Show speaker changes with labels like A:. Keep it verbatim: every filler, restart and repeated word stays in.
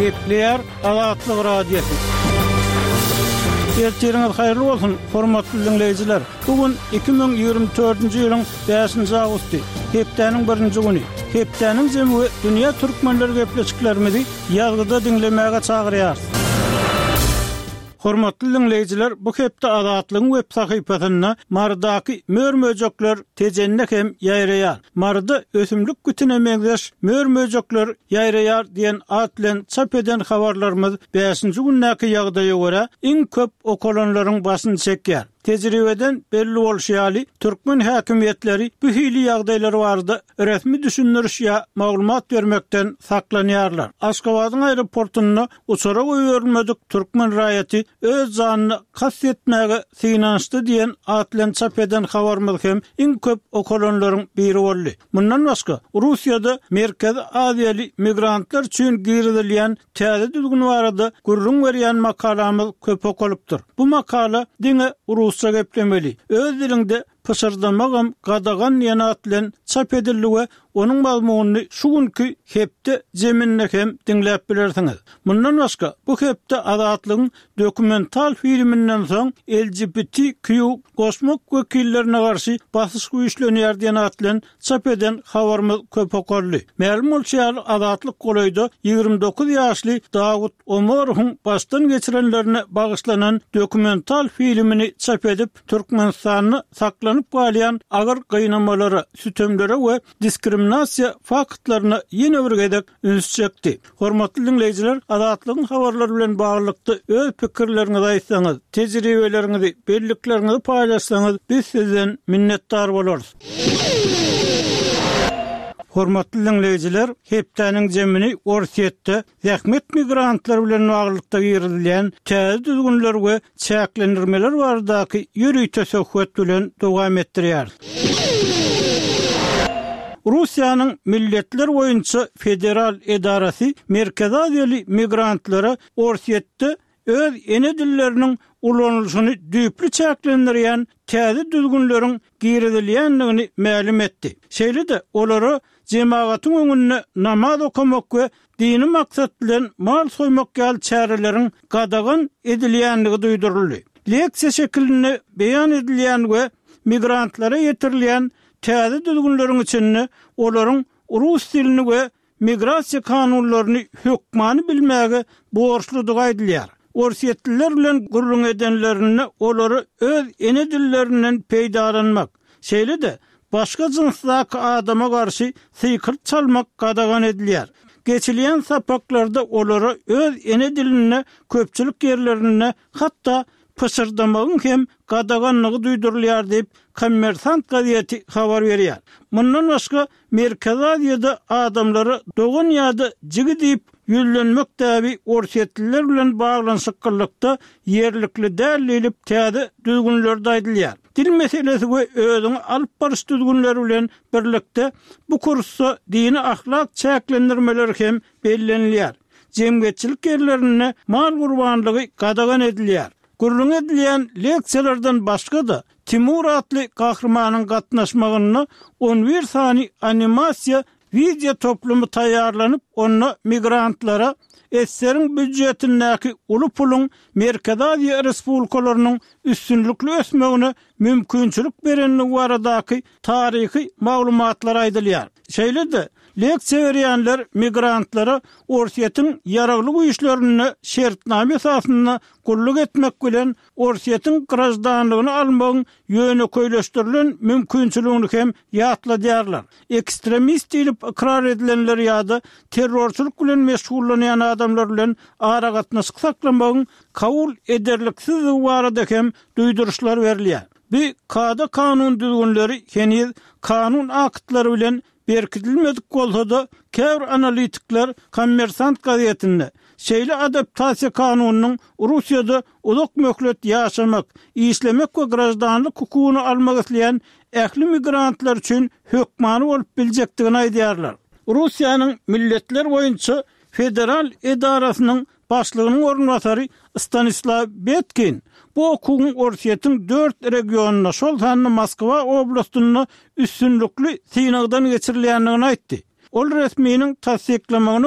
A: Gepleýär Azatlyk Radiosy. Ertiriňiz haýyrly bolsun, hormatly diňleýjiler! Bu gün iki müň ýigrimi dördünji ýylyň bäşinji awgusty, hepdäniň birinji güni. Hepdäniň jemi we dünýä türkmenleri gepleşiklerimizi ýazgyda diňlemäge çagyrýarys. Hormatly diňleýjiler, bu hepde Azatlygyň web sahypasynda Marydaky mör-möjekler Tejende hem ýaýraýar. Maryda ösümlik kütüne meňzeş mör-möjekler ýaýraýar diýen at bilen çap eden habarlarymyz bäşinji gündäki ýagdaýa görä iň köp okalanlaryň başyny çekýär. Tejribeden belli bolşy ýaly, türkmen häkimiýetleri bu hili ýagdaýlar barada resmi düşündiriş ýa maglumat bermekden saklanýarlar. Aşgabadyň aeroportunda uçara goýberilmedik türkmen raýaty öz janyna kast etmäge synanyşdy diýen at bilen çap eden habarymyz hem iň köp okalanlaryň biri boldy. Mundan başga, Russiýada Merkezi Aziýaly migrantlar üçin girizilýän täze düzgün barada gürrüň berýän makalamyz köp okalypdyr. Bu makala diňe rusça geplemeli, öz diliňde pyşyrdamagam gadagan diýen at bilen çap edildi we onuň mazmunyny şu günki hepde jeminde hem diňläp bilersiňiz. Mundan başga, bu hepde Azatlygyň dokumental filminden soň L G B T Q goşmak wekillerine garşy basyş güýçlenýär diýen at bilen çap eden habarymyz köp okaldy. Mälim bolşy ýaly, Azatlyk golaýda ýigrimi dokuz ýaşly Dawut Omarowyň başdan geçirenlerine bagyşlanan dokumental filmini çap edip, Türkmenistanda saklanyp galýan agyr gynamalara, sütemlere we diskriminasiýa faktlaryna ýene bir gezek üns çekdi. Hormatly diňleýjiler, Azatlygyň habarlary bilen baglylykda öz pikirleriňizi aýtsaňyz, tejribeleriňizi, bellikleriňizi paýlaşsaňyz, biz sizden minnetdar bolarys. Hormatly diňleýjiler, hepdäniň jemini Orsýetde zähmet migrantlary bilen baglylykda girizilýän täze düzgünler we çäklendirmeler baradaky ýörite söhbet bilen dowam etdirýäris. Russiýanyň Milletler boýunça federal edarasy Merkezi Aziýaly migrantlara Orsýetde öz ene dilleriniň ulanylyşyny düýpli çäklendirýän täze düzgünleriň girizilýändigini mälim etdi. Şeýle-de olara jemagatyň öňünde namaz okamak we dini maksat bilen mal soýmak ýaly çäreleriň gadagan edilýändigi duýduryldy. Leksiýa şekilinde beýan edilýän we migrantlara ýetirilýän täze düzgünleriň içinde olaryň rus dilini we migrasiýa kanunlaryny hökmany bilmäge borçludygy aýdylýar. Orsýetliler bilen gürrüň edenlerinde olary öz ene dillerinden peýdalanmak, şeýle-de başga jynsdaky adama garşy sykyrt çalmak gadagan edilýär. Geçilýän sapaklarda olara öz ene dilinde köpçülik ýerlerinde hatda pyşyrdamagyň hem gadaganlygy duýdurylýar diýip, Kommersant gazeti habar berýär. Mundan başga, Merkezi Aziýada adamlara dogan ýa-da jigi diýip ýüzlenmek däbi orsýetliler bilen baglanyşyklylykda ýerlikli däl diýlip täze düzgünlerde aýdylýar. Dil meselesi we özüňi alyp baryş düzgünleri bilen birlikde bu kursda dini ahlak çäklendirmeleri hem bellenilýär. Jemgyýetçilik ýerlerinde mal gurbanlygy gadagan edilýär. Gürrüň edilýän leksiýalardan başga-da Timur atly gahrymanyň gatnaşmagynda on bir sany animasiýa wideo toplumy taýýarlanyp, onda migrantlara S S R-iň býujetindäki uly puluň Merkezi Aziýa respublikalarynyň üstünlikli ösmegine mümkinçilik berendigi baradaky taryhy maglumatlar aýdylýar. Şeýle-de, leksiýa berýänler migrantlara Orsýetiň ýaragly güýçlerinde şertnama esasynda gulluk etmek bilen Orsýetiň graždanlygyny almagyň ýönekeýleşdirilen mümkinçiligini hem ýatladýarlar. Ekstremist diýlip ykrar edilenler ýa-da terrorçylyk bilen meşgullanýan adamlar bilen aragatnaşyk saklamagyň kabul ederliksizdigi barada hem duýduryşlar berilýär. Bu kada-kanun düzgünleri heniz kanun aktlary bilen berkidilmedik bolsa-da, käbir analitikler Kommersant gazetinde şeýle adaptasiýa kanunynyň Russiýada uzak möhlet ýaşamak, işlemek we graždanlyk hukugyny almak isleýän ähli migrantlar üçin hökmany bolup biljekdigini aýdýarlar. Russiýanyň Milletler boýunça federal edarasynyň başlygynyň orunbasary Stanislaw Betkin bu okuwyň Orsýetiň dört regionynda, şol sanda Moskwa oblastynda üstünlikli synagdan geçirilýändigini aýtdy. Ol resminiň tassyklamagyna